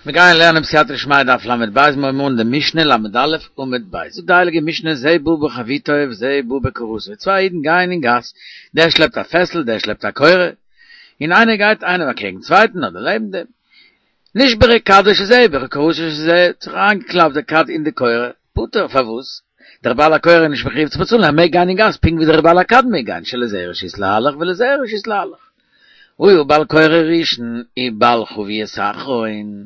מיר גייען לערנען בסייעתא דשמיא דף ל"ב, מיר הייבן אן די משנה ל"א עמוד ב', זאגט די הייליגע משנה זה בא בחביתו וזה בא בקורתו, צוויי אידן גייען אין גאס, דער שלעפט א פעסל דער שלעפט א קורה, און איינער גייט איינער אקעגן צווייטן אדער לעבן דעם, נשברה כדו של זה וקורתו של זה, האט זיך אריינגעקלאפט די כד אין די קורה, פטור, פארוואס? דער בעל הקורה איז נישט מחויב צו באצאלן, ער מעג גיין אין גאס פונקט ווי דער בעל הכד מעג גיין, שלזה רשות להלך ולזה רשות להלך. היה בעל קורה ראשון ובעל חבית אחרון,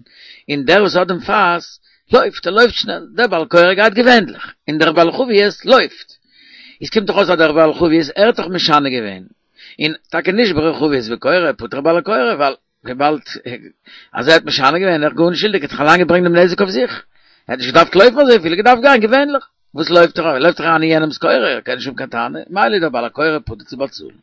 און דער וואס האט דעם פאס לויפט, ער לויפט שנעל, דער בעל קורה גייט געווענליך, און דער בעל חבית לויפט. איז קומט דאך אויס אז דער בעל חבית ער האט דאך משנה געווען, און טאקע נשברה חבית וקורה פטור בעל הקורה, ווייל וויבאלד אז ער האט משנה געווען, ער איז גארנישט שולדיג, ער האט זיך אליין געברענגט דעם נזק אויף זיך, ער האט נישט געדארפט לויפן אזויפיל, ער האט געדארפט גיין געווענליך, וואס לויפט ער? ער לויפט אריין אין יענעמ'ס קורה, ער קען נישט האבן קיין טענה, מילא איז דער בעל הקורה פטור צו באצאלן.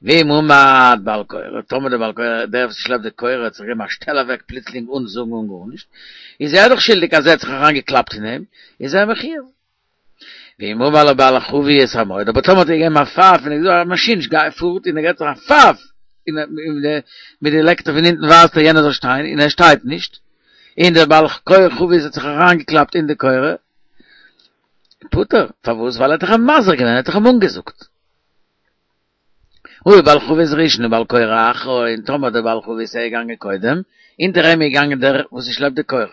ואם עמד בעל קורה, טאמער דער בעל קורה, דער וואס שלעפט די קורה האט זיך געגעבן א שטעל אוועק פלוצלינג אן זאגן אן גארנישט, איז ער דאך שולדיג אז ער האט זיך אריינגעקלאפט אין אים, איז ער מחויב. ואם אמר לבעל החבית עמוד, אבער טאמער האט ער געגעבן א פייף און ער האט געזאגט א מאשין גיי פארט און ער געבט זיך א פייף און מיט די לעקטער פון אונטן ווייזט ער יענער זאל שטיין און ער שטייט נישט, און דער בעל חבית האט זיך אריינגעקלאפט אין די קורה, פטור, פארוואס? ווייל ער האט דאך אים מזהיר געווען, ער האט דאך אים אנגעזאגט. היה בעל חבית ראשון ובעל קורה אחרון, טאמער דער בעל חבית איז געגאנגען קודם, הינטער אים איז געגאנגען דער וואס שלעפט די קורה.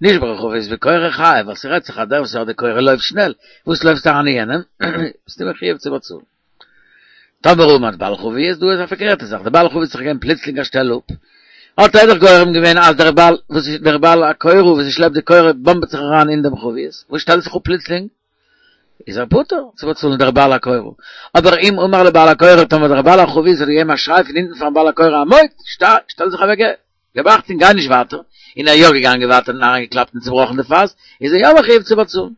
נשברה חבית וקורה חייב, ווייל ס'רעדט זיך אז דער וואס האט די קורה לויפט שנעל, וואס לויפסטו אריין אין יענעם? ביסטו מחויב צו באצאלן. טאמער עמד בעל חבית, דא איז א פארקערטע זאך, דער בעל חבית האט זיך געגעבן פלוצלינג א שטעל אפ, האט ער דאך גורם געווען אז דער בעל וואס איז דער בעל הקורה וואס שלעפט די קורה באמבעט זיך אריין אין דעם חבית, וואס שטעלט זיך אפ פלוצלינג? איז ער פטור צו באצאלן דער בעל הקורה. אבער אם אמר לבעל הקורה טאמער דער בעל החבית האט געגעבן א שריי פון הינטן פארן בעל הקורה עמוד, שטיי, שטעל זיך אוועק, געב אכטונג גיי נישט ווייטער, און ער איז יא געגאנגען ווייטער און אריינגעקלאפט און צובראכן די פאס, איז ער יא מחויב צו באצאלן.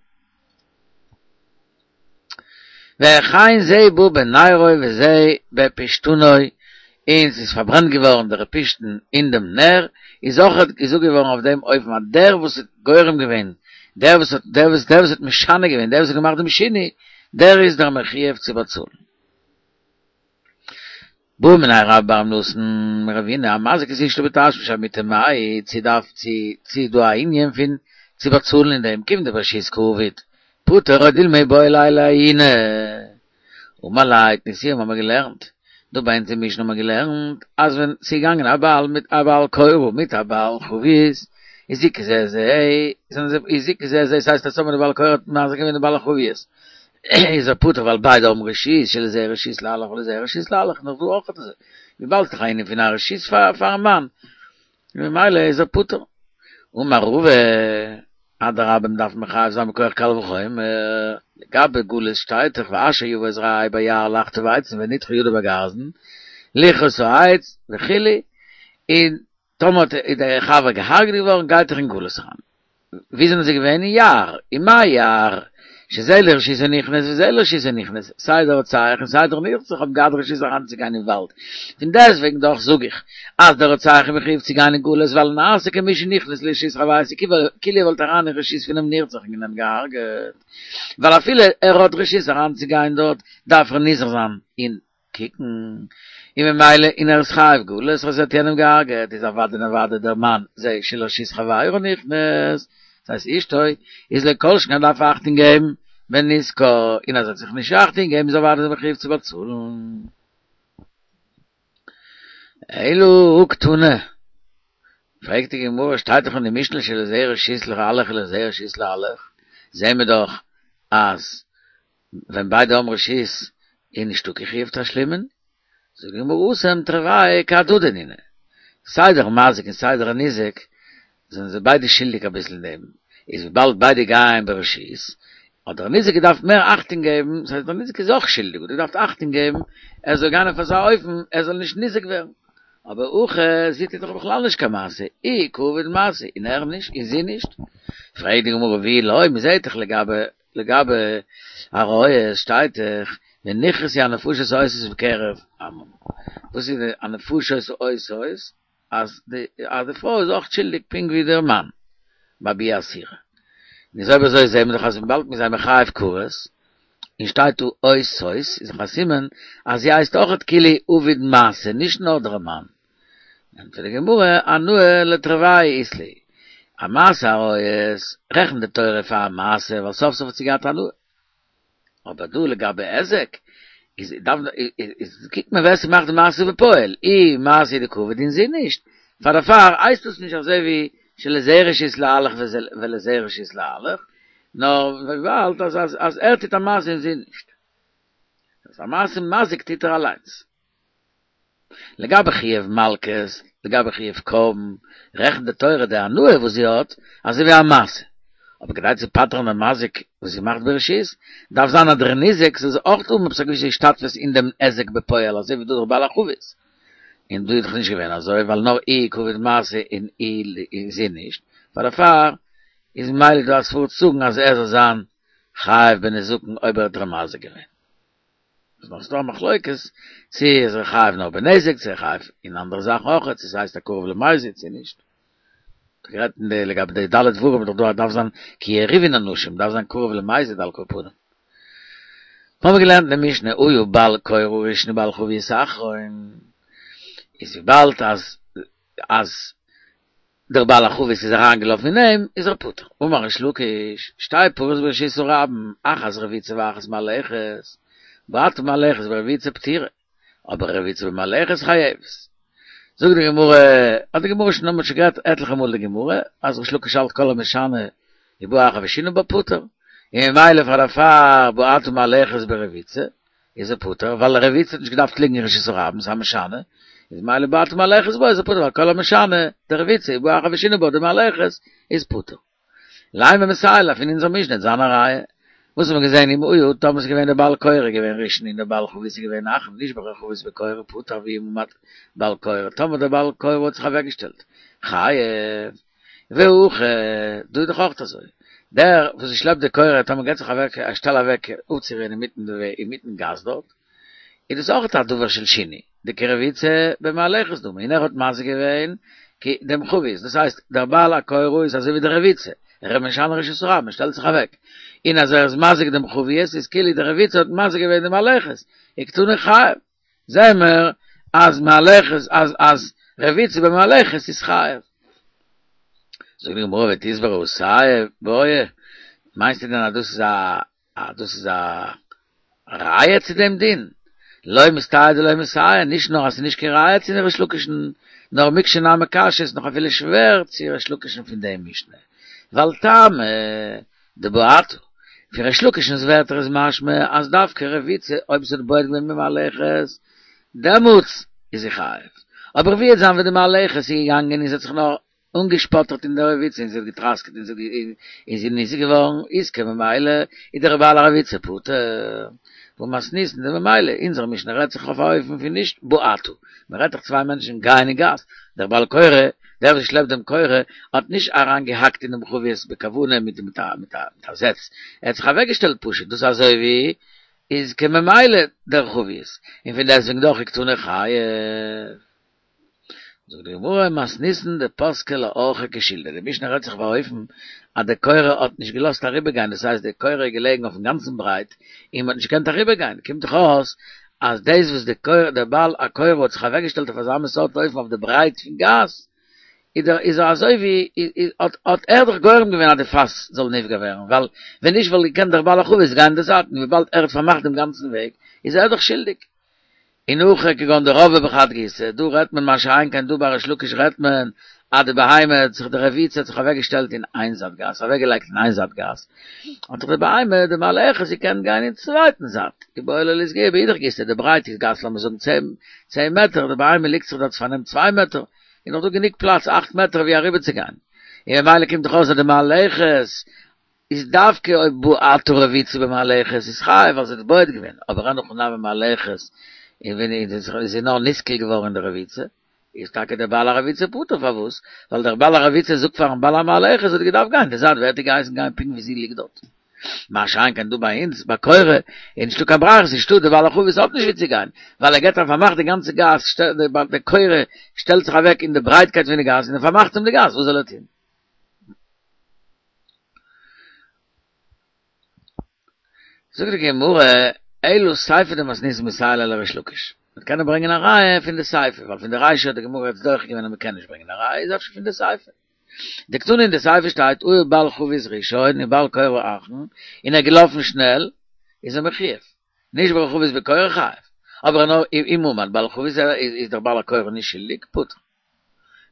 וכן זה בא בנרו וזה בפשתנו, און ס'איז פארברענט געווארן דער פשתן אין דעם נר, איז אויך געזאגט געווארן אויף דעם אופן אז דער וואס האט גורם געווען, דער וואס האט דער וואס דער וואס האט משנה געווען, דער וואס האט געמאכט דעם שינוי, דער איז דער מחויב צו באצאלן. בעא מיניה רבה בר רב נתן מרבינא, המזיק את אשתו בתשמיש המיטה מאי, צו דארף צו צו איז דא א ענין פון צו באצאלן אין דעם, כיון דברשות קעביד, פטור או דילמא איבעי ליה לעיוני. אמר ליה תניתוה האבן מיר געלערנט, דא ביי אונז אין משנה האבן מיר געלערנט אז ווען ס'איז געגאנגען א בעל מיט א בעל קורה מיט א בעל חבית הזיקו זה את זה זענען זיי הזיקו זה את זה ס'הייסט אז טאמער די בעל קורה האט מזיק געווען די בעל החבית איז ער פטור ווייל ביידע האבן רשות שלזה רשות להלך ולזה רשות להלך נאך דא אויך אזוי וויבאלד ס'איז דאך א ענין פון א רשות פארן מאן ממילא איז ער פטור. אמר רבא, אדרבה מ'דארף מחייב זיין מכח קל וחומר, לגבי גלות שטייט דאך ואשר יבא את רעהו ביער לחטוב עצים ונדחה ידו בגרזן, לכרות העץ וכו', און טאמער איז דער חבר געהארגעט געווארן גייט ער אין גלות אריין. ווי זענען זיי געווען? אין יער, ומאי יער, שזה לרשות הנכנס וזה לרשות הנכנס, סיי דער רוצח און סיי דער נרצח האבן געהאט רשות אריינצוגיין אין וואלד, פון דעסטוועגן דאך זאג איך אז דער רוצח איז מחויב צו גיין אין גלות ווייל נעשה כמי שנכנס לרשות חברו כאילו ער וואלט אריין אין רשות פונעם נרצח און אים געהארגעט, ווייל אפילו ער האט רשות אריינצוגיין דארט דארף ער נזהר זיין און קוקן, און ממילא און ער איז חייב גלות אז ער האט יענעם געהארגעט, איז אוודאי און אוודאי דער מאן זה שלרשות חברו נכנס, דאס הייסט אשתו, איז לכל שכן ער דארף אכטונג געבן בנזקו, און אז ער האט זיך נישט אכטונג געגעבן איז אוודאי מחויב צו באצאלן. אלא הא קתני, פרעגט די גמרא, שטייט דאך אין די משנה שלזה רשות להלך ולזה רשות להלך, זעהן מיר דאך אז ווען ביידע האבן רשות איז נישטא קיין חיוב תשלומין, זאגט די גמרא התם תרוייהו כהדדי נינהו, סיי דער מזיק און סיי דער ניזק זענען זיי ביידע שולדיג אביסל אין דעם, איז וויבאלד ביידע גייען ברשות, האט דער ניזק געדארפט מער אכטונג געבן, ס'הייסט דער ניזק איז אויך שולדיג, האט געדארפט אכטונג געבן ער זאל גיין אויף אזא אופן ער זאל נישט ניזק ווערן, אבער הכא זי טוט דאך בכלל נישט קיין מעשה, איהו קא עביד מעשה, און ער נישט און זי נישט, פרעגט די גמרא ואי לא, מ'זעט דאך לגבי לגבי עריות שטייט דאך ונכרתו הנפשות העושות בקרב עמם. וואס איז די הנפשות העושות? אז די אז די פרוי איז אויך שולדיג פונקט ווי דער מאן ביי ביאה אסורה. און איז אויב אזוי זעהן מיר דאך אז וויבאלד מיר זענען מחייב כרת, און שטייט דא עושות, איז דאך א סימן אז זי הייסט אויכעט כאילו עביד מעשה, נישט נאר דער מאן. ענטפערט די גמרא, אנא לתרוייהו אית להו. א מעשה עריות רעכנט די תורה פאר א מעשה ווייל סוף סוף האט זי געהאט הנאה. אבער דא לגבי היזק איז דארף איז קוקט מען ווער ס'מאכט די מעשה בפועל, איר מעשה דקעביד און זי נישט, פאר דערפאר הייסט עס נישט אזוי ווי שלזה רשות להלך ולזה רשות להלך, נאר וויבאלד אז אז אז ער טוט א מעשה און זי נישט. אז א מעשה מזיק טוט ער אליינס. לגבי חיוב מלקות, לגבי חיוב קרבן, רעכנט די תורה די הנאה וואס זי האט אזוי ווי א מעשה. אבער כדי צו פטר'ן דעם מזיק וואס זי מאכט ברשות, דארף זיין אז דער ניזק זאל זיך אויך האבן עפעס א געוויסע השתתפות אין דעם היזק בפועל אזוי ווי דא דורך בעל החבית. און דא איז דאך נישט געווען אזוי ווייל נאר ער קעביד מעשה און און זי נישט, פאר דערפאר איז ממילא דא א סברא צו זאגן אז ער זאל זיין חייב בנזקין אויב ער האט איר מזיק געווען. איז נאך ס'דא א מחלוקת צו איז ער חייב נאר בנזק צו ער חייב אין אנדערע זאכן אויך צו ס'הייסט א קרוב למזיד צו נישט. גערעדט אין די לגבי די ד' דברים איז דאך דא דארף זיין כי יריבון אנשים דארף זיין קרוב למזיד על כל פנים. האבן מיר געלערנט אין די משנה היה בעל קורה ראשון ובעל חבית אחרון איז וויבאלד אז אז דער בעל החבית איז אריינגעלאפן אין אים, איז ער פטור. אמר ריש לקיש, שתי פרות ברשות הרבים, אחת רביצה ואחת מהלכת, בעטה מהלכת ברביצה פטורה, אבער רביצה במהלכת חייבת. זאגט די גמרא, האט די גמרא שוין האבן שוין געהאט עטליכע מאל די גמרא, אז ריש לקיש האלט כל המשנה ובא אחר ושינה בה פטור, און ממילא פאר דערפאר בעטה מהלכת ברביצה, איז ער פטור, ווייל רביצה האט נישט געדארפט ליגן אין רשות הרבים, ס'איז א משנה, איז ממילא בעטה מהלכת בה איז ער פטור, ווייל כל המשנה, דרביצה, ובא אחר ושינה בה דמהלכת, איז פטור. לימא מסייע ליה פון אונזער משנה זיין א ראיה. וואס האט מען געזען אם היה טאמער ס'איז געווען דער בעל קורה געווען ראשון און דער בעל חבית איז געווען אחרון נשברה חבית בקורה פטור ואם עמד בעל קורה טאמער דער בעל קורה האט זיך אוועקגעשטעלט חייב והכא, דא איז דאך אויך אזוי, דער וואס שלעפט די קורה טאמער געט זיך אוועק א שטעל אוועק אפצורוען אינמיטן די וועג אינמיטן גאס דארט, איז דאס אויך א דבר של שינוי, דכרביצה במהלכת דמי, און ער האט מזיק געווען דעם חבית, דאס הייסט דער בעל הקורה איז אזוי ווי די רביצה, ער איז משנה רשות הרבים, מען שטעלט זיך אוועק, און אז ער איז מזיק דעם חבית איז כאילו די רביצה האט מזיק געווען די מהלכת, וקתני חייב. זעהן מיר אז מהלכת אז אז רביצה במהלכת איז חייב. זאגט די גמרא ותסברא אתיא בעי, מיינסטו דען אז דאס איז א אז דאס איז א ראיה צו דעם דין? לא מסתייה דלא מסייע, נישט נאר אז ס'איז נישט קיין ראיה צו ריש לקיש'ן, נאר מקשה נמי קשיא איז נאך אפילו שווער צו ריש לקיש'ן פון דעם משנה, ווייל טעמא דבעטה. פון ריש לקיש'נס ווערטער איז משמע אז דווקא רביצה אויב ס'האט בועט געווען במהלכת דעמאלטס איז זי חייב. אבער ווי וועט זיין ווען די מהלכת איז געגאנגען און זי האט זיך נאר אנגעשפאטערט אין די רביצה און זי האט געטראסקעט און זי איז ניזוק געווארן איז כממילא איז דער בעל הרביצה פטור. והא מתניתין דממילא אונזער משנה רעדט זיך אויף א אופן פון נישט בעטה. מ'רעדט דאך צוויי מענטשן גייען אין גאס, דער בעל קורה דער וואס שלעפט דעם קורה האט נישט אריין געהאקט אין דעם חבית בכוונה מיט מיט א מיט א זעץ, ער האט זיך אוועק געשטעלט פשוט, דאס אזוי ווי איז כממילא דער חבית, און פון דעסטוועגן דאך וקתני חייב. זאגט די גמרא מתניתין דפסקה לאורחא כשלדא, די משנה רעדט זיך באופן אז די קורה האט נישט געלאזט אריבער גיין, דאס הייסט די קורה איז געלעגן אויפן גאנצן ברייט און מען האט נישט געקענט אריבער גיין, קומט דאך אויס אז דאס וואס די קורה דער בעל הקורה האט זיך אוועקגעשטעלט אויף אזא מין סארט אופן אויף די ברייט פון גאס, איז דער איז ער אזוי ווי האט האט ער דאך גורם געווען אז די פאס זאל נפגע ווערן, ווייל ווען נישט וואלט געקענט דער בעל החבית גיין אין די זייט, און וויבאלד ער האט פארמאכט דעם גאנצן וועג, איז ער דאך שולדיג. און הכא כגון דרבעה בחד גיסא, דא רעדט מען מה שאין כן דא ביי ריש לקיש רעדט מען אז די בהמה האט זיך די רביצה האט זיך אוועק געשטעלט אין איין זייט גאס אוועק געלייגט אין איין זייט גאס האט זיך די בהמה די מהלכת געקענט גיין אין צווייטן זייט איבעי לה לאיסגויי באידך גיסא די ברייט איז גאס לאמיר זאגן צען מעטער די בהמה ליגט זיך דארט פארנעמט צוויי מעטער איז נאך דא גענוג פלאץ אכט מעטער ווי אריבער צו גיין און ממילא קומט דאך אויס אז די מהלכת איז דווקא אויב בעטה רביצה במהלכת איז חייב ווייל זי האט בועט געווען, אבער אין הכי נמי מהלכת און ווען איז זי נאר נסקל געווארן אין די רביצה, איז טאקע דער בעל הרביצה פטור פארוואס? ווייל דער בעל הרביצה זאגט פארן בעל המהלכת זי האט געדארפט גיין די זייט ווער האט איר געהייסן גיין פונקט ווי זי ליגט דארט? מה שאין כן דא ביי אונז ביי קורה איז נישטא קיין ברירה ס'נישטא די בעל החבית האט נישט ווי צו גיין ווייל ער געט א פארמאך די גאנצע גאס די קורה שטעלט זיך אוועק אין די ברייטקייט פון די גאס און ער פארמאכט אים די גאס וואס זאל ער טון? זאגט די גמרא, אלא סיפא דמתניתין מסייע ליה לריש לקיש. מען קען ברענגען א ראיה פון די סיפא, ווייל פון די רישא האט די גמרא יעצט דוחה געווען אז מען קען נישט ברענגען א ראיה, איז אפשר פון די סיפא. דקתני אין די סיפא שטייט העיר בעל חבית ראשון און בעל קורה אחרון, און ער איז געלאפן שנעל, איז ער מחויב. נשברה חבית וקורה חייב. אבער נאר אם עמד בעל חבית איז דער בעל הקורה נישט שולדיג, פטור.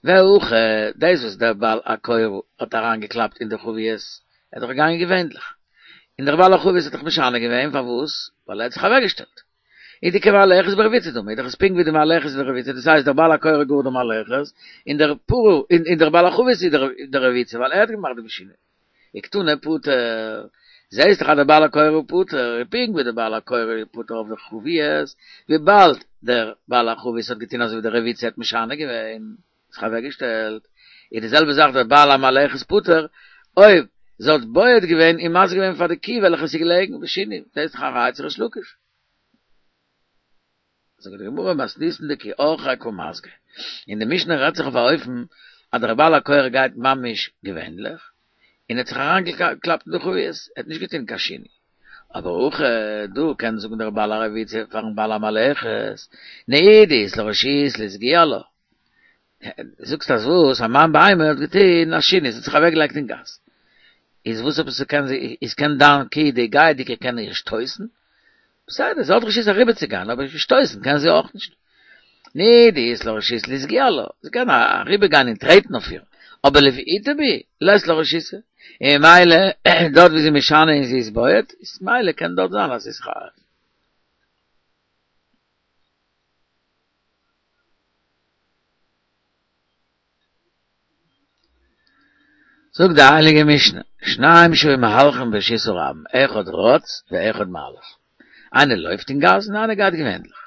והכא, דאס וואס דער בעל הקורה האט אריינגעקלאפט אין די חבית, ער איז דאך געגאנגען געווענליך, און דער בעל החבית האט דאך משנה געווען, פארוואס? ווייל ער האט זיך אוועקגעשטעלט. איז דכמהלכת ברביצה דמי, איז דאך עס פונקט ווי די מהלכת אין די רביצה, דאס הייסט דער בעל הקורה גאר די מהלכת, און דער פרה, און דער בעל החבית איז דער רביצה, ווייל ער האט געמאכט די שינוי. וקתני פטור, זעהסט דאך אז דער בעל הקורה איז פטור, פונקט ווי דער בעל הקורה איז פטור אויף די חבית, וויבאלד דער בעל החבית האט געטון אזוי ווי דער רביצה האט משנה געווען, זיך אוועק געשטעלט, איז די זעלבע זאך דער בעל המהלכת פטור, אויב זי האט בועט געווען און מזיק געווען פאר די קי וועלכע איז געלעגן בשינוי, זעהסט דאך א ראיה צו ריש לקיש. זאגט די גמרא מתניתין דכי אורחיה קא מזגא, אין די משנה רעדט זיך אויף א אופן אז דער בעל הקורה גייט ממש געווענליך, און האט זיך אריינגעקלאפט אין די חבית, ער האט נישט געטון קיין שינוי, אבער הכא דא קען זאגן דער בעל הרביצה פארן בעל המהלכת, נהי דאית לה רשות לאסגויי עלה, זאגסט אז וואס אז מיין בהמה האט געטון א שינוי, זי האט זיך אוועקגעלייגט אין גאס, איז וואס עפעס קען זי, איז קען דיין קי די גייעדיגע קען איר שטויסן? בסדר, זי האט רשות אריבערצוגיין, אבער שטויסן קען זי אויך נישט. נהי דאית לה רשות לאסגויי עלה, זי קען אריבערגיין און טרעטן אויף איר, אבער לבעוטי בי לית לה רשות. און ממילא דארט ווי זי משנה און זי איז בועט, איז ממילא קען דארט זיין אז ס'איז חייב. זאגט די הייליגע משנה, שניים שהיו מהלכים ברשות הרבים, אחד רץ ואחד מהלך. איינער לויפט אין גאס און איינער גייט געווענליך.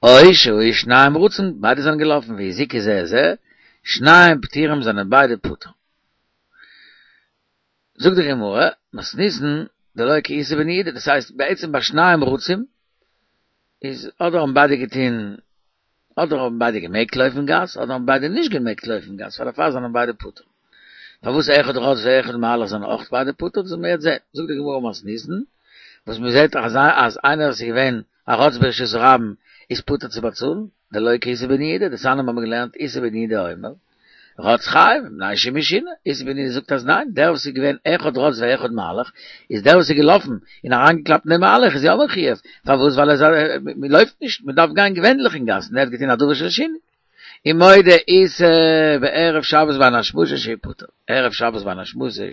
או שהיו שניהם רצים, ביידע זענען געלאפן והזיקו זה את זה, שניהם פטורים זענען ביידע פטור. זאגט די גמרא, מתניתין דלא כאיסי בן יהודה, דאס הייסט בעצם ביי שניים רצים איז אדער האבן ביידע געטון, אדער האבן ביידע געמעגט לויפן אין גאס, אדער האבן ביידע נישט געמעגט לויפן אין גאס, פאר דערפאר זענען ביידע פטור. פארוואס אחד רץ ואחד מהלך זענען אויך ביידע פטור, דאס וועלן מיר יעצט זען. זאגט די גמרא מתניתין, וואס מען זעט אז אז איינער וואס איז געווען א רץ ברשות הרבים איז פטור צו באצאלן, דלא כאיסי בן יהודה, דתניא האבן מיר געלערנט איסי בן יהודה אומר, רץ חייב, מפני שהוא משונה, איסי בן יהודה זאגט אז ניין, דער וואס איז געווען אחד רץ ואחד מהלך, איז דער וואס איז געלאפן און אריינגעקלאפט אין דעם מהלך איז יא מחויב, פארוואס ווייל ער איז מען לויפט נישט, מען דארף גיין געווענליך אין גאס, און ער האט געטון א דבר של שינוי. ומודה איסי בערב שבת בין השמשות שהוא פטור, ערב שבת בין השמשות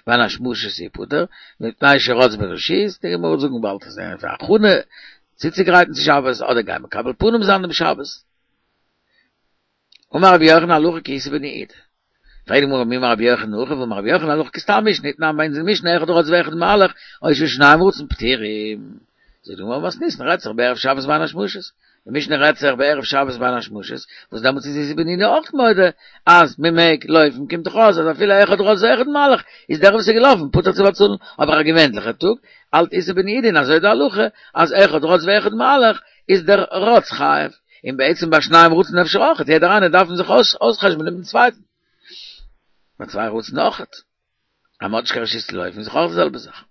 בין השמשות שהוא פטור, מפני שרץ ברשות, די גמרא וועט זאגן באלד אז ער איז א הכנה צוצוגרייטן צו שבת, אדער גיין מקבל פנים זיין דעם שבת. אמר רבי יוחנן הלכה כאיסי בן יהודה. פרעגט די גמרא מי אמר רבי יוחנן הכי והאמר רבי יוחנן הלכה כסתם משנה איתמר ביי אונז אין משנה אחד רץ ואחד מהלך או שהיו שניהם רצים פטורים. זאגט די גמרא מתניתין רעדט זיך בערב שבת בין השמשות. די משנה רעדט זיך בערב שבת בין השמשות וואס דעמאלטס איז איסי בן יהודה אויך מודה אז מען מעג לויפן קומט דאך אויס אז אפילו אחד רץ ואחד מהלך איז דער וואס איז געלאפן פטור צו באצאלן אבער א געווענליכע טאג האלט איסי בן יהודה און אזוי די הלכה אז אחד רץ ואחד מהלך איז דער רץ חייב, און בעצם ביי שניים רצים אפשר אויכעט, יעדער איינער דארף זיך אויסחשבונען מיטן צווייטן. ביי צוויי רצים אויכעט, אז מ'האט נישט קיין רשות צו לויפן איז דאך אויך די זעלבע זאך.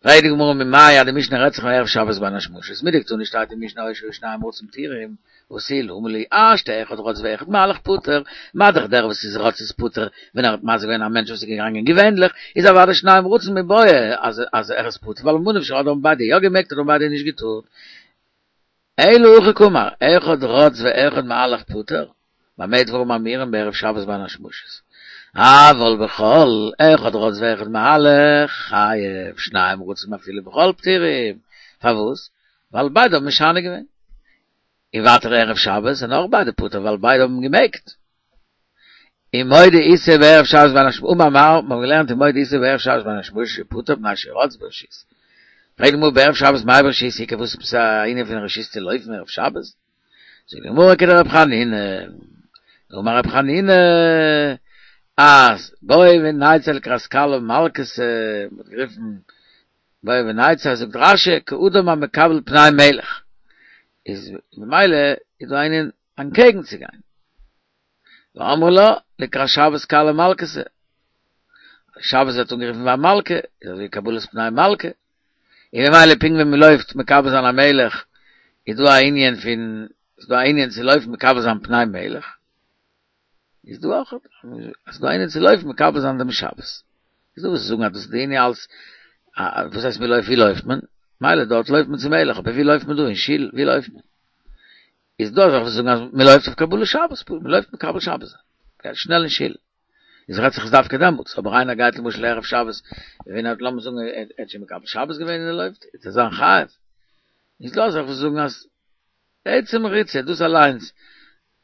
פרעגט די גמרא ממאי אז די משנה רעדט זיך ערב שבת בין השמשות, מדקתני שטייט אין משנה או שהיו שניהם רצים פטורים, ותו למה לי השתא אחד רץ ואחד מהלך פטור, מה דאך דער וואס איז רץ איז פטור ווען ער האט מזיק געווען א מענטש וואס איז געגאנגען געווענליך איז אוודאי שניים רצים מיבעיא אז אז ער איז פטור ווייל ממה נפשך אדער האבן ביידע יא געמעגט אדער האבן ביידע נישט געטארט אלא הכי קאמר אחד רץ ואחד מהלך פטור במה דברים אמורים בערב שבת בין השמשות אבל בחול אחד רץ ואחד מהלך חייב שניים רצים אפילו בחול פטורים פארוואס ווייל ביידע האבן משנה געווען און ווייטער ערב שבת זענען אויך ביידע פטור ווייל ביידע האבן געמעגט. ומודה איסי בערב שבת בין השמשות אמר מר מ'האט געלערנט ומודה איסי בערב שבת בין השמשות שהוא פטור מפני שרץ ברשות. פרעגט די גמרא בערב שבת מאי ברשות איכא וואס איז א ענין פון רשות צו לויפן ערב שבת? זאגט די גמרא כדרב חנינא דאמר רב חנינא אז בואי ונצא לקראת כלה מלכתא מ'האט גערופן בואי ונצא זאגט רש"י כאדם המקבל פני מלך איז ממילא איז דא א ענין אנטקעגן צו גיין ואמרי לה לקראת שבת כלה מלכתא שבת ווערט אנגערופן ווי א מלכה איז אזוי קבלת פני מלכה און ממילא פונקט ווי מען לויפט מקבל זיין א מלך איז דא א ענין פון איז דא א ענין צו לויפן מקבל זיין פני מלך. איז דא אויך אז דא איינער צו לויפן מקבל זיין דעם שבת. איז דא וואס זאגן אז דאס איז די ענין אלס וואס הייסט מ'לויפט ווי לויפט מען? מילא דארט לויפט מען צום מלך אבער ווי לויפט מען דא אין שול ווי לויפט מען? איז דא אזעלכע וואס זאגן אז מ'לויפט אויף קבלת שבת פשוט מ'לויפט מקבל שבת זיין גייט שנעל אין שול איז רעדט זיך עס דווקא דעמאלטס אבער איינער גייט למשל ערב שבת ווען ער האט לאמיר זאגן ער האט שוין מקבל שבת געווען און ער לויפט וועט ער זיין חייב איז דא אזעלכע וואס זאגן אז עצם ריצה דאס אליינס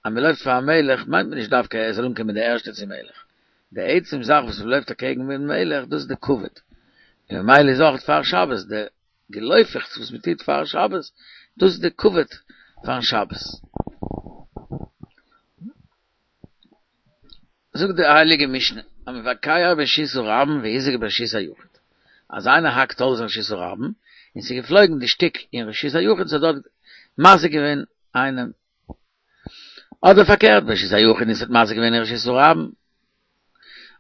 אז מען לויפט פארן מלך מיינט מען נישט דווקא ער זאל אנקומען די ערשטע צום מלך, די עצם זאך וואס מען לויפט אקעגן דעם מלך דאס איז די כבוד, און ממילא איז אויך פאר שבת די געלויפעכטס וואס מען טוט פאר שבת דאס איז די כבוד פארן שבת. זאגט די הייליגע משנה, המבקע ברשות הרבים והזיק ברשות היחיד, אז איינער האקט האלץ אין רשות הרבים און ס'איז געפלויגן די שטיק אין רשות היחיד ס'האט דארט מזיק געווען איינעם, אדער פארקערט ברשות היחיד און ס'האט מזיק געווען אין רשות הרבים,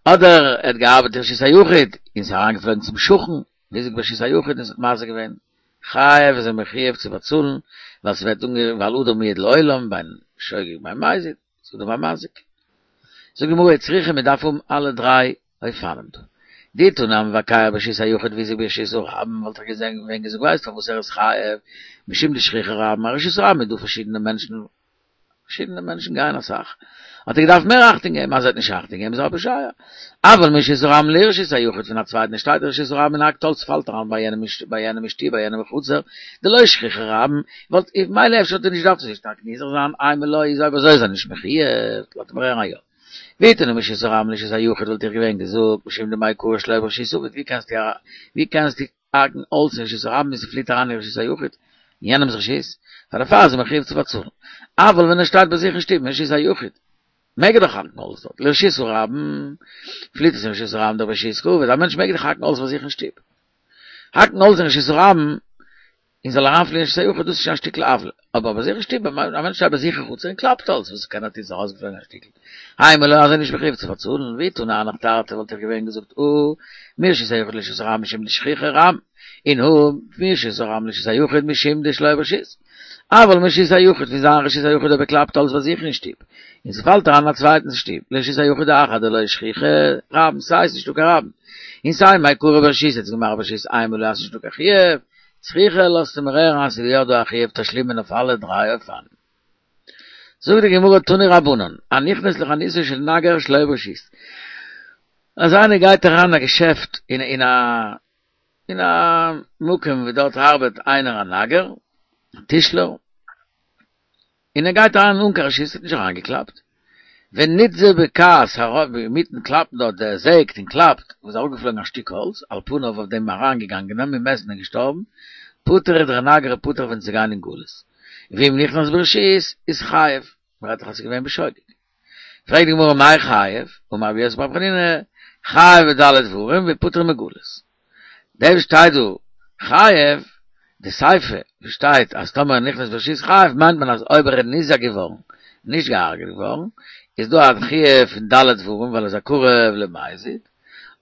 אדער ער האט געארבעט אין רשות היחיד און ס'איז אריינגעפלויגן צום שכן, והזיק ברשות היחיד און ס'האט מזיק געווען, חייב איז ער מחויב צו באצאלן, ווייל ס'ווערט אנגערופן ווייל אדם מועד לעולם בין שוגג בין מזיד, ס'איז אדם המזיק. זאגט די גמרא וצריכא מ'דארף האבן אלע דריי אופנים דא. דאי תנא המבקע ברשות היחיד והזיק ברשות הרבים וואלט איך געזען געווען געזאגט ווייסט פארוואס ער איז חייב משום דשכיחי רבים א רשות הרבים איז דא פארשידענע מענטשן פארשידענע מענטשן גייען אסאך האט ער געדארפט מער אכטונג געבן אז ער האט נישט אכטונג געגעבן איז ער א פושע אבל מרשות הרבים לרשות היחיד פון א צווייטן שטייט אין רשות הרבים און האקט האלץ פאלט אריין ביי יענעם ביי יענעם אין שטוב ביי יענעם אין חצר דלא שכיחי רבים וואלט מילא אפשר האט ער נישט געדארפט אזוי שטארק נזהר זיין אימא לא איז אויב אזוי איז ער נישט מחויב לאזט מיר הערן א יא. ואי תנא מרשות הרבים לרשות היחיד וואלט איך געווען געזאגט משום דמעיקרא שלא ברשות עביד ווי קענסטו ווי קענסטו האקן האלץ אין רשות הרבים און ס'פליט אריין אין רשות היחיד אין יענעמ'ס רשות פאר דערפאר איז ער מחויב צו באצאלן אבל ווען ער שטייט ביי זיך אין שטוב מרשות היחיד מעג ער דאך האקן האלץ דארט לרשות הרבים פליט עס אין רשות הרבים דברשות קעביד א מענטש מעג דאך האקן האלץ ביי זיך אין שטוב האקן האלץ אין רשות הרבים און זאל אריינפליען אין רשות היחיד, דאס איז שוין א שטיקל עוולה, אבער ביי זיך אין שטוב, א מענטש שטייט ביי זיך אין חצר און קלאפט האלץ, וואס קען ער טון, ס'איז ארויסגעפלויגן א שטיקל, אימא לא איז ער נישט מחויב צו באצאלן, ואי תנא הנך תרתי וואלט איך געווען געזאגט הא מרשות היחיד לרשות הרבים משום דשכיחי רבים, און הא מרשות הרבים לרשות היחיד משום דשלא ברשות, אבל מרשות היחיד פון זיין רשות היחיד אויב ער קלאפט האלץ ביי זיך אין שטוב, און ס'פאלט אריין אין א צווייטנס שטוב, לרשות היחיד האחר דלא שכיחי רבים, סיי ס'נישטא קיין רבים, און סיי מעיקרא ברשות, האט עס געמאכט ברשות אימא לא אז ס'נישטא קיין חיוב, צריכא לאזט מיר הערן אז ס'איז יא דא א חיוב תשלומין אויף אלע דריי אופנים. זאגט די גמרא תנו רבנן, הנכנס לחנותו של נגר שלא ברשות. אז איינער גייט אריין אין א געשעפט אין אין א אין א מקום ווי דארט ארבעט איינער א נגר, א טישלער, און ער גייט אריין אן קיין רשות, האט נישט אריינגעקלאפט, ונתזה בכעס הרב אינמיטן קלאפן דארט דער זעגט און קלאפט, און איז אראפגעפלויגן א שטיק האלץ, על פניו אויף דעם אריינגעגאנגענעם ומת און געשטארבן, פטור דער נגר איז פטור פון צו גיין אין גלות, ואם נכנס ברשות איז חייב, מ'רעדט דאך אז ס'איז געווען בשוגג. פרעגט די גמרא מאי חייב, אמר רבי יוסי ברבי חנינא, חייב בד' דברים ופטור מגלות. דעם שטייט דא חייב, די סיפא וואס שטייט אז טאמער נכנס ברשות חייב מיינט מען אז אויב ער איז ניזק געווארן, נישט געהארגעט געווארן, איז דא א חיוב פון ד' דברים ווייל ער איז א קרוב למזיד,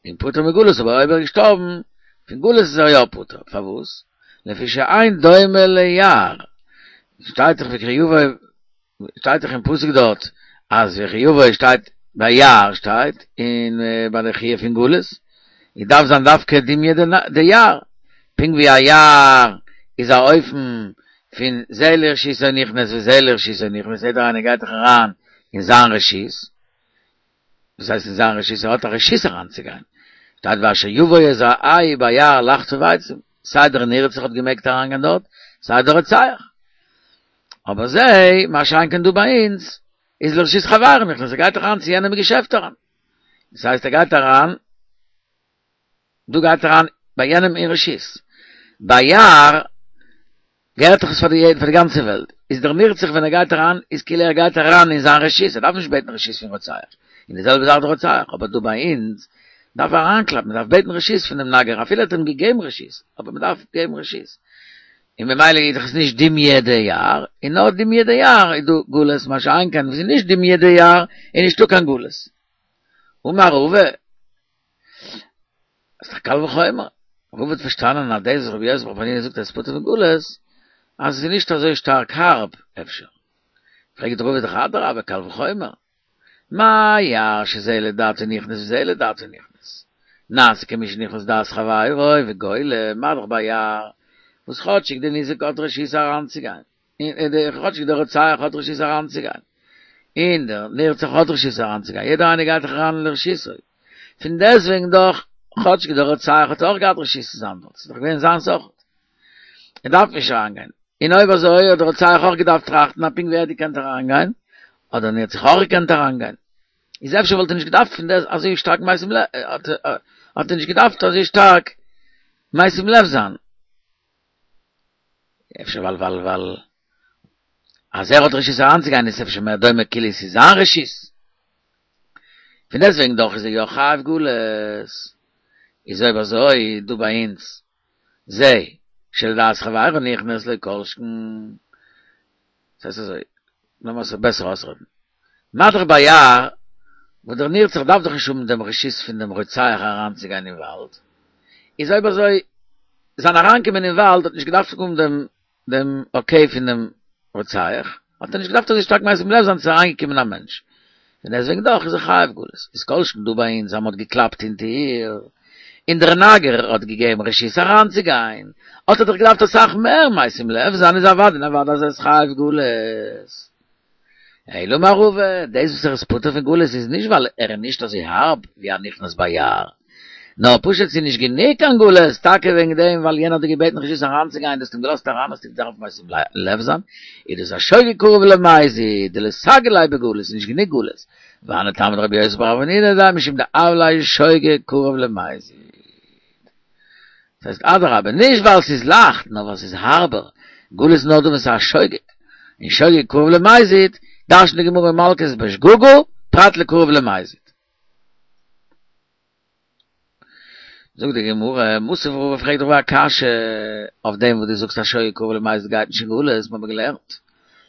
און פטור מגלות אבער אויב ער איז געשטארבן פון גלות איז ער יא פטור, פארוואס? לפי שאין דומה ליער, שטייט דאך וכי יבוא שטייט דאך אין פסוק דארט אז וכי יבוא שטייט ביי יער שטייט און ביי די חיוב פון גלות איז דארף זיין דווקא דומיא דיער פונקט ווי א יער איז א אופן פון זה לרשותו נכנס וזה לרשותו נכנס יעדער איינער גייט דאך אריין אין זיין רשות וואס הייסט אין זיין רשות ער האט א רשות אריינצוגיין שטייט ואשר יבוא את רעהו ביער לחצוב עצים סיי דער נרצח האט געמעגט אריינגיין דארט סיי דער רוצח אבער זה, מה שאין כן דא ביי אונז, איז לרשות חברו נכנס, ער גייט אריין צו יענעם אין געשעפט אריין. דאס הייסט ער גייט אריין, דא גייט אריין ביי יענעם אין רשות. ביי יער געהערט דאך עס פאר די פאר די גאנצע וועלט. איז דער נרצח ווען ער גייט אריין, איז כאילו ער גייט אריין אין זיין רשות, ער דארף נישט בעטן רשות פון רוצח. און די זעלבע זאך דער רוצח, אבער דא ביי אונז, דארף ער אריינקלאפן, מען דארף בעטן רשות פונעם נגר, אפילו ער האט אים געגעבן רשות, אבער מען דארף געבן רשות. און ממילא איז דאך עס נישט דומיא דיער, און נאר דומיא דיער איז דא גלות, מה שאין כן וואס איז נישט דומיא דיער איז נישטא קיין גלות. אמר רבא, איז דאך קל וחומר, רבא האט פארשטאנען אז דאס וואס רבי יוסי ברבי חנינא זאגט אז עס פטור פון גלות, אז עס איז נישט אזוי שטארק הארב, אפשר. פרעגט רבא דאך אדרבה קל וחומר. מה יער שזה לדעתו נכנס וזה לדעתו נכנס. נעשה כמי שנכנס לדעת חברו וגולה, מה דאך ביער, וואס כאטשיג די ניזק האט רשות אריינצוגיין, כאטשיג דער רוצח האט רשות אריינצוגיין, און דער נרצח האט רשות אריינצוגיין, יעדער איינער גייט דאך אריין אין לרשותו, פון דעסטוועגן דאך, כאטשיג דער רוצח האט אויך געהאט רשות צו זיין דארט, ס'איז דאך געווען זיינס אויך, ער דארף נישט אריינגיין, און אויב אזוי האט דער רוצח אויך געדארפט טראכטן אז פונקט ווי ער האט געקענט אריינגיין, האט דער נרצח אויך געקענט אריינגיין. איז אפשר וואלט ער נישט געדארפט פון דעס אזוי שטארק משים לב, האט ער נישט געדארפט אזוי שטארק משים לב זיין. אפשר ווייל ווייל ווייל אז ער האט רשות אריינצוגיין איז אפשר מער דומה כאילו עס איז זיין רשות. פון דעסטוועגן דאך איז ער יא חייב גלות. איז אויב אזוי דא ביי אונז זה שלדעת חברו נכנס לא כל שכן. ס'הייסט אזוי, לאמיר עס בעסער אויסרעדן. מה דאך ביער, וואס דער נרצח דארף דאך נישט האבן דעם רשות פון דעם רוצח אריינצוגיין אין וואלד, איז אויב אזוי, זיין אריינקומען אין וואלד האט נישט געדארפט האבן דעם דעם אקעי פון דעם רוצח, האט ער נישט געדארפט אזוי שטארק משים לב זיין צו אריינגעקומען א מענטש. פון דעסטוועגן דאך איז ער חייב גלות. איז כל שכן דא ביי אונז אז מ'האט געקלאפט אין טיר, און דער נגר האט געגעבן רשות אריינצוגיין, האט ער דאך געדארפט אסאך מער משים לב זיין, איז אוודאי און אוודאי אז ער איז חייב גלות. אלא אמר רבא, דאס וואס ער איז פטור פון גלות איז נישט ווייל ער איז נישט אזוי הארב ווי א נכנס ביער, נאר פשוט ס'איז נישט גענוג קיין גלות, טאקע וועגן דעם ווייל יענער האט דיר געבעטן רשות אריינצוגיין, דו האסט אים געלאזט אריין האסטו געדארפט משים לב זיין, איז דאס א שוגג קרוב למזיד, דלא סגי ליה בגלות, ס'איז נישט גענוג גלות, והני טעמא דרבי יוסי בר אבינא דאמר משום דהוה ליה שוגג קרוב למזיד. דאס הייסט אדרבה, נישט ווייל ס'איז לייכט, נאר ווייל ס'איז הארבער, גלות איז נאר דא ווען ס'איז א שוגג, און שוגג קרוב למזיד, דרש'נט די גמרא אין מלקות בשגגה, פרט לקרוב למזיד. זאגט די גמרא, מתיב רבא פרעגט רבא א קשיא אויף דעם וואס דו זאגסט אז שוגג קרוב למזיד גייט נישט אין גלות, מיר האבן געלערנט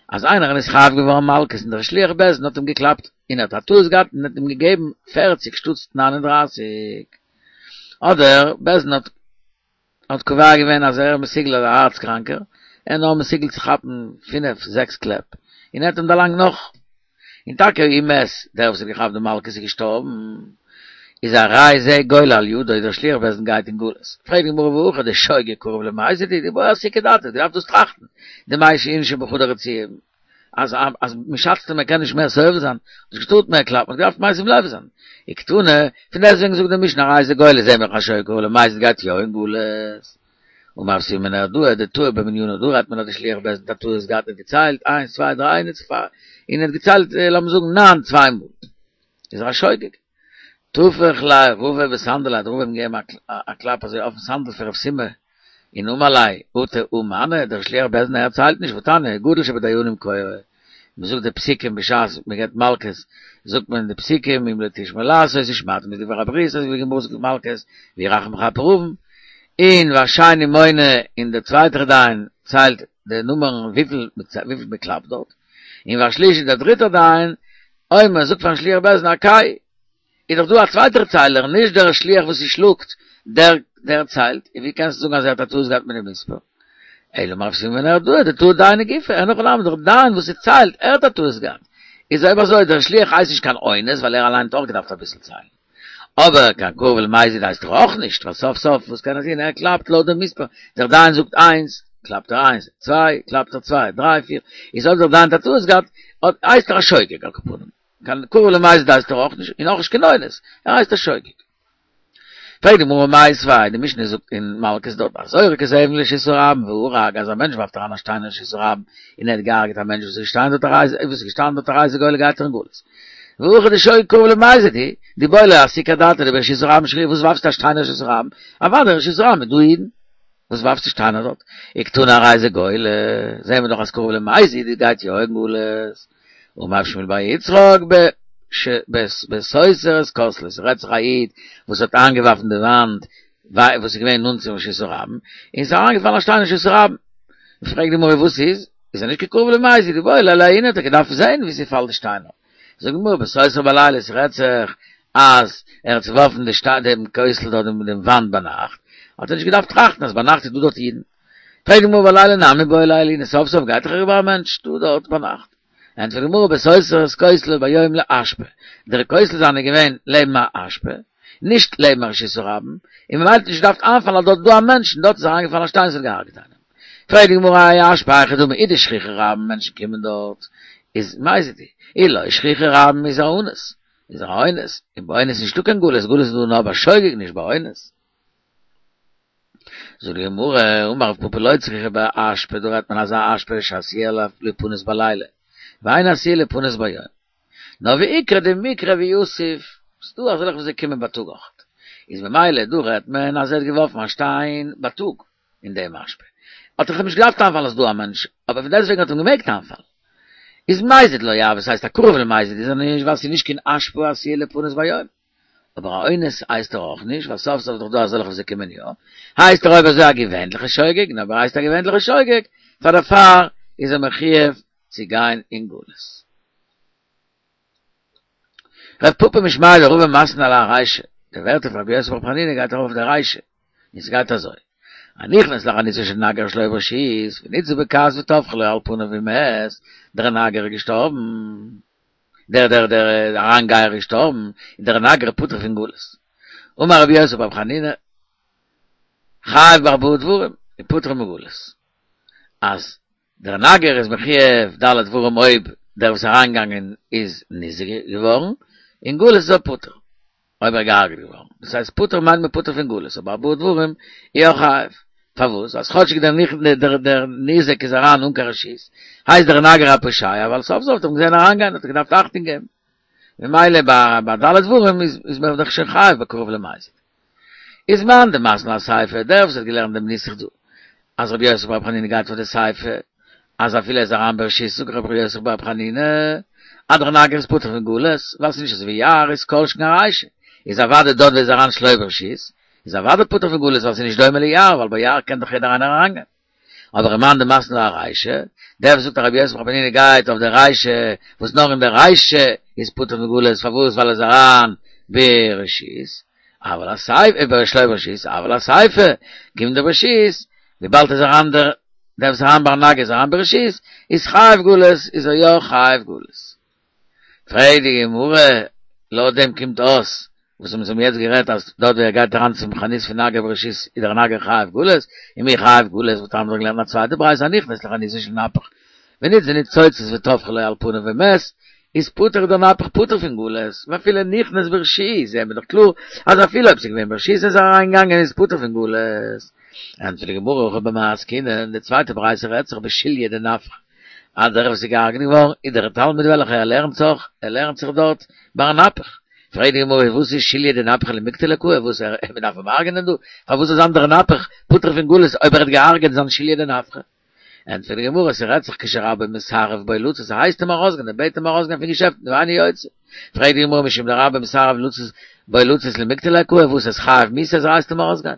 אז איינער איז נתחייב געווארן מלקות און דער שליח בית דין האט אים געקלאפט און ער האט א טעות געהאט און האט אים געגעבן פערציג שטאטס ניין און דרייסיג, אדער בית דין האט האט קובע געווען אז ער איז מסוגל א הארץ קראנקער, ער איז נאר מסוגל צו כאפן פינף זעקס קלעפ, און ער האט אים דערלאנגט נאך, און טאקע ומת, דער וואס האט געכאפט די מלקות איז געשטארבן, איז הרי זה גולה על ידו, דער שליח בית דין גייט אין גלות. פרעגט די גמרא והכא דשוגג קרוב למזיד, דאיבעי אסוקי דעתיה, דו דארפסט דאס טראכטן, דמייתי אינשי בחדא רצועה, אז אז מען שאצט אים ער קען נישט מער סובל זיין, האט נישט געטארט מער קלאפן, האט געדארפט משים לב זיין. וקתני, פון דעסטוועגן זאגט די משנה הרי זה גולה זעהן מיר אז שוגג קרוב למזיד גייט יא אין גלות. אמר רב שימי בנהרדעא דטעה במנינא דא רעדט מען אז די שליח בית דין האט א טעות געהאט און געציילט איינס צוויי דריי און און האט געציילט לאמיר זאגן ניין צוויי מאל איז ער א שוגג. טפח ליה רבא בסנדליה האט רבא אים געגעבן א קלאפ אזוי אויפן סנדל פון רב סימא און אמר ליה אטו הא מני דער שליח בית דין ער ציילט נישט והתניא גדול שבדיינים קורא מען זאגט די פסוקים בשעת מען געבט מלקות, זאגט מען די פסוקים אם לא תשמעו לעשות ושמעתם את דבר הברית אזוי ווי די גמרא זאגט מלקות והוא רחום יכפר עון, און והשני מונה און דער צווייטער דיין ציילט די נומערן וויפיל וויפיל מען קלאפט דארט, און והשלישי דער דריטער דיין אומר זאגט פארן שליח בית דין הכהו איז דאך דא א צווייטער ציילער נישט דער שליח וואס ס'שלאגט דער דער ציילט, און ווי קענסטו זאגן אז ער האט א טעות געהאט מיט די מספר? אלא אמר רב שימי בנהרדעא דטעה דיינא גופיה, אין הכי נמי דער דיין וואס ס'ציילט ער האט א טעות געהאט, איז אויב אזוי דער שליח הייסט נישט קיין אונס ווייל ער אליין האט אויך געדארפט אביסל ציילן, אבער קיין קרוב למזיד הייסט ער אויך נישט ווייל סוף סוף וואס קען ער טון ער קלאפט לויט דעם מספר, דער דיין זאגט איינס קלאפט ער איינס, צוויי קלאפט ער צוויי, דריי פיר, איז אויב דער דיין האט א טעות געהאט הייסט ער א שוגג על כל פנים. קיין קרוב למזיד הייסט ער אויך נישט, און אויך נישט קיין אונס, ער הייסט א שוגג. פרעגט די גמרא מיתיבי, די משנה זאגט אין מלקות דארט, הזורק את האבן לרשות הרבים והרג, אז א מענטש ווארפט אריין א שטיין אין רשות הרבים, און ער האט געהארגעט א מענטש וואס איז געשטאנען דארט הרי זה, וואס איז געשטאנען דארט הרי זה גולה גייט ער אין גלות. והכא דשוגג קרוב למזיד הוא, דאיבעי ליה אסוקי אדעתיה דברשות הרבים שרייא, וואס ווארפסטו א שטיין אין רשות הרבים? אוודאי אין רשות הרבים איז דא אידן. וואס ווארפסטו שטיינער דארט? וקתני הרי זה גולה, זעהן מיר דאך אז קרוב למזיד גייט יא אין גלות. אמר רב שמואל בר יצחק ב ש בסותר את כותלו, ס'רעדט זיך א איד וואס האט איינגעווארפן די וואנט וואס איז געווען נאנט צום רשות הרבים, און ס'איז אריינגעפאלן א שטיין אין רשות הרבים. פרעגט די גמרא וואס איז? איז ער נישט קיין קרוב למזיד, דאיבעי ליה לעיוני האט ער געדארפט זען ווי ס'פאלט די שטיינער. זאגט די גמרא בסותר בלילה ס'רעדט זיך אז ער האט צעווארפן די שטיין דעם כותל דארט דעם וואנט ביינאכט, האט ער נישט געדארפט טראכטן אז ביינאכט איז דא דארט אידן. פרעגט די גמרא בלילה נמי בעי ליה לעיוני, סוף סוף גייט דאך אריבער א מענטש דא דארט ביינאכט. ענטפערט די גמרא בסותר את כותלו ביום לאשפה, דער כותל זיינע איז געווען לעבן א אשפה, נישט לעבן א רשות הרבים, און ממילא האט נישט געדארפט איינפאלן אז דארט איז דא א מענטש און דארט איז אריינגעפאלן א שטיין און ס'האט געהארגעט איינעם. פרעגט די גמרא האי אשפה היכי דמי אי דשכיחי רבים מענטשן קומען דארט איז מזיד הוא, אי לא שכיחי רבים איז א אונס, איז א אונס, און ביי אונס נישטא קיין גלות, גלות איז דא נאר ביי שוגג נישט ביי אונס. זאגט די גמרא, אמר רב פפא לא צריכא באשפה, דא רעדט מען אזא אשפה שעשויה ליפנות בלילה, ואינה עשויה ליפנות ביום. נאר ואיקרי דמיקרב ויתיב, ס'דא אזעלכע וואס זיי קומען בייטאג אויך, איז ממילא דא רעדט מען אז ער האט געווארפן א שטיין בייטאג אין דעם אשפה, האט דאך אים נישט געדארפט איינפאלן אז ס'דא א מענטש, אבער פון דעסטוועגן האט אים געמעגט איינפאלן. איז מזיד לא הוי, ס'הייסט א קרוב למזיד איז ער נישט ווייל ס'איז נישט קיין אשפה עשויה ליפנות ביום. אבער א אונס הייסט ער אויך נישט, ווייל סוף סוף איז דאך דא אזעלכע וואס זיי קומען יא, הייסט ער אויב אזוי א געווענליכע שוגג, און אויב ער הייסט א געווענליכע שוגג, פאר דערפאר איז ער מחויב צו גיין אין גלות. רב פפא משמיה דרבא מתני לה ארישא, די ווערטער פון רבי יוסי ברבי חנינא גייט ארויף אויף די רישא, און ס'גייט אזוי, הנכנס לחנותו של נגר שלא ברשות, ונתזה בכעס וטפחה לו על פניו ומת, דער נגר איז געשטארבן. דער דער דער אריינגייער איז געשטארבן, און דער נגר פטור פון גלות. אמר רבי יוסי ברבי חנינא, חייב בארבעה דברים, און פטור מגלות. אז דער נגר איז מחויב ד' דברים אויב דער וואס איז אריינגעגאנגען איז ניזוק געווארן, און גלות איז ער פטור, אויב ער איז געהארגעט געווארן. דאס הייסט פטור מיינט מען פטור פון גלות, אבער ארבעה דברים איז ער חייב. פארוואס? אז כאטשיג דער נכ דער דער ניזק איז אריין אן קיין רשות, הייסט דער נגר א פושע, ווייל סוף סוף האט ער אים געזען אריינגיין האט ער געדארפט אכטונג געבן. ממילא ביי ביי ד' דברים איז איז מען דאך שוין חייב בקרוב למזיד. איז מאן דמתני אסיפא, דער וואס האט געלערנט דעם נוסח דא, אז רבי יוסי ברבי חנינא גייט פאר די סיפא, אז אפילו ער איז אריין ברשות זאגט רבי יוסי ברבי חנינא אז דער נגר איז פטור פון גלות, ווייל ס'איז נישט אזוי ווי יער איז כל שכן ארישא, איז אוודאי דארט ווי ער איז אריין שלא ברשות, איז אוודאי פטור פון גלות ווייל ס'איז נישט דומה ליער ווייל ביי יער קען דאך יעדער איינער אריינגיין. אבער ומאן דמתני לה ארישא, דער וואס זאגט אז רבי יוסי ברבי חנינא גייט אויף די רישא וואס נאר אין די רישא איז פטור פון גלות פארוואס ווייל ער איז אריין ברשות, אבל אסיפא שלא ברשות, אבל אסיפא כיון דברשות, וויבאלד איז אריין דער דער וואס איז אריין ביי נגר איז אריין ברשות, איז חייב גלות, איז ער יא חייב גלות. פרעגט די גמרא, לויט דעם קומט אויס, וואס אונז האבן יעצט גערעדט אז דארט ווי ער גייט אריין צום חנות פון נגר ברשות איז דער נגר חייב גלות, ומי חייב גלות וואס האבן מיר געלערנט א צווייטע ברייתא הנכנס לחנותו של נפח ונתזו ניצוצות וטפחו לו על פניו ומת, איז פטור דער נפח פטור פון גלות, ואפילו נכנס ברשות, זעהן מיר דאך קלאר אז אפילו אויב ס'איז געווען ברשות איז ער אריינגעגאנגען איז פטור פון גלות. ענטפערט די גמרא הכא במאי עסקינן, די צווייטע ברייתא רעדט זיך בשוליא דנפחא, אז דער וואס איז געהארגעט געווארן איז דער תלמיד וועלכער ער לערנט זיך, ער לערנט זיך דארט ביי נפח. פרעגט די גמרא וואס איז שוליא דנפחא למיקטליה קאי, וואס ער מען דארף אים הרג'נען דא, פארוואס איז דער נפח פטור פון גלות אויב ער האט געהארגעט זיין שוליא דנפחא? ענטפערט די גמרא, ס'רעדט זיך כשרבו מסרב בו לצאת, ער הייסט אים ארויסגיין, ער בעט אים ארויסגיין פון געשעפט, ואינו יוצא. פרעגט די גמרא משום דרבו מסרב לצאת בו לצאת למיקטליה קאי, וואס איז חייב מיתה אז ער הייסט אים ארויסגיין?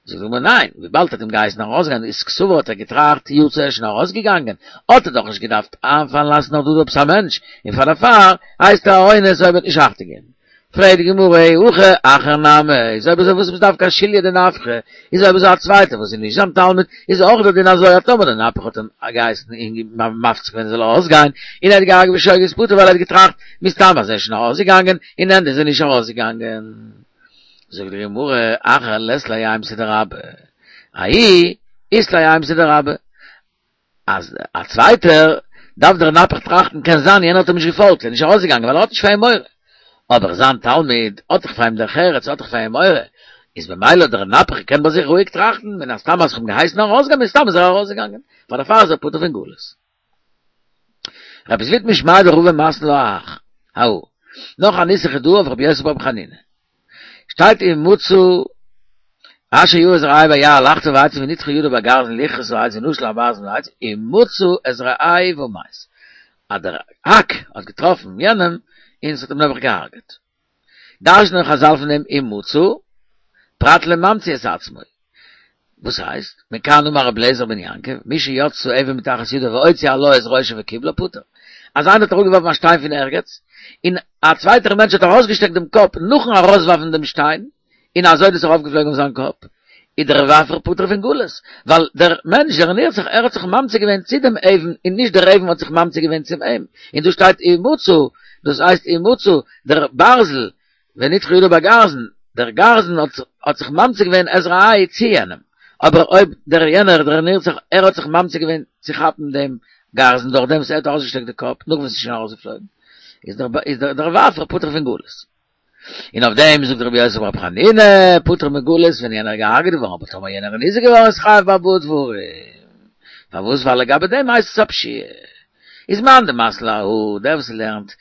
זאגט די גמרא ניין, וויבאלד ער האט אים געהייסן ארויסגיין איז קסבר האט ער געטראכט יצא ער איז שוין ארויסגעגאנגען, האט ער דאך נישט געדארפט איינפאלן אז ס'נאך דא דא עפעס א מענטש, און פאר דערפאר הייסט ער א אונס אויב ער וועט נישט אכטונג געבן. פרעגט די גמרא אי הכי אחר נמי, איז אויב אזוי וואס איז דווקא א שוליא דנפחא, איז אויב אזוי א צווייטער וואס איז נישט זיין תלמיד, איז אויך דער דין אזוי אז טאמער דער נפח האט אים געהייסן און מפציר געווען ער זאל ארויסגיין, און ער האט געהארגעט בשוגג איז פטור ווייל ער האט געטראכט מסתם אז ער איז שוין ארויסגעגאנגען, אין ענד איז ער נישט ארויסגעגאנגען. זאגט די גמרא, אחר לית ליה אימתא דרבה, ההוא אית ליה אימתא דרבה, אז א צווייטער דארף דער נפח טראכטן קען זיין יענער האט אים נישט געפאלגט ער איז נישט ארויסגעגאנגען ווייל ער האט נישט פאר אים מורא, אבער זיין תלמיד האט דאך פאר אים דרך ארץ האט דאך פאר אים מורא, איז במילא דער נפח קען ביי זיך רואיג טראכטן מן הסתם אז כ'האב אים געהייסן ארויסגיין מן הסתם איז ער ארויסגעגאנגען, פאר דערפאר איז ער פטור פון גלות. רבי זביד משמיה דרבא מתני לה אהך, ההוא. נאך א נוסח איז דא אויף רבי יוסי ברבי חנינא. שטייט ומצא אשר ירא את רעהו ביער לחצוב העצים ונתכה ידו בגרזן לכרות העץ ונשל הברזן מן העץ ומצא את רעהו ומת. אז דער האק האט געטראפן יענעם און ס'האט אים נעבעך געהארגעט. דרש'נען חזל פון דעם ומצא פרט לממציא את עצמו. וואס הייסט? מכאן אמר רבי אליעזר בן יעקב, מי שיצתה אבן מתחת ידו והוציא עלה את ראשו וקיבלה פטור. אז איינער האט אראפגעווארפן א שטיין פון ערגעץ, און א צווייטער מענטש האט ארויסגעשטעקט דעם קאפ נאכן ארויסווארפן דעם שטיין, און אזוי איז דאס ארויפגעפלויגן אויף זיין קאפ. איז דער ווארפער פטור פון גלות, ווייל דער מענטש דער נרצח ער האט זיך ממציא געווען צו דעם אבן און נישט דער אבן האט זיך ממציא געווען צום אים, און דא שטייט ומצא, דאס הייסט ומצא דער ברזל, ונתחה ידו בגרזן, דער גרזן האט זיך ממציא געווען את רעהו צו יענעם, אבער אויב דער יענער דער נרצח ער האט זיך ממציא געווען צו כאפן דעם גרזן דורך דעם וואס ער האט ארויסגעשטעקט די קאפ נאך וואס עס איז שוין ארויסגעפלויגן, איז דער ווארפער פטור פון גלות. און אויף דעם זאגט רבי יוסי ברבי חנינא, פטור מגלות ווען יענער איז געהארגעט געווארן, אבער טאמער יענער איז ניזוק געווארן איז חייב בארבעה דברים. פארוואס? ווייל לגבי דעם הייסט עס א פשיעה. איז מאן דמתני להא, דער וואס לערנט,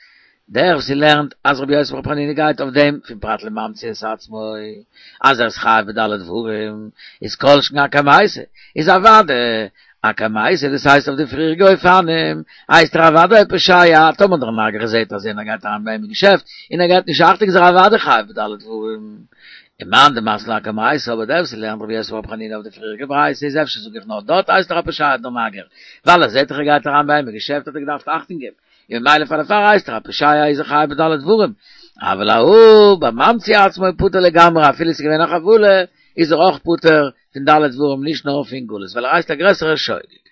דער וואס לערנט אז רבי יוסי ברבי חנינא גייט אויף דעם פון פרט לממציא את עצמו, אז ער איז חייב בד' דברים, איז כל שכן אקמייתא, איז אוודאי אקמייתא, דאס הייסט אויף די פריעריגע אופנים, הייסט ער אוודאי פושע, טאמער דער נגר זעהט אז יענער גייט אריין ביי אים אין געשעפט, און ער געבט נישט אכטונג איז ער אוודאי חייב בד' דברים. ומאן דמתני לאקמייתא, אבער דער וואס לערנט רבי יוסי ברבי חנינא אויף די פריעריגע ברייתא איז אפשר זאג איך נאר דארט הייסט ער א פושע דער נגר, ווייל ער זעהט דאך ער גייט אריין ביי אים אין געשעפט האט ער געדארפט אכטונג געבן, און ממילא פאר דערפאר הייסט ער א פושע איז ער חייב בד' דברים, אבל להא בממציא עצמו פטור לגמרי אפילו עס איז געווען א חבלה איז ער אויך פטור פון ד' דברים נישט נאר פון גלות ווייל ער הייסט א גרעסערע שוגג.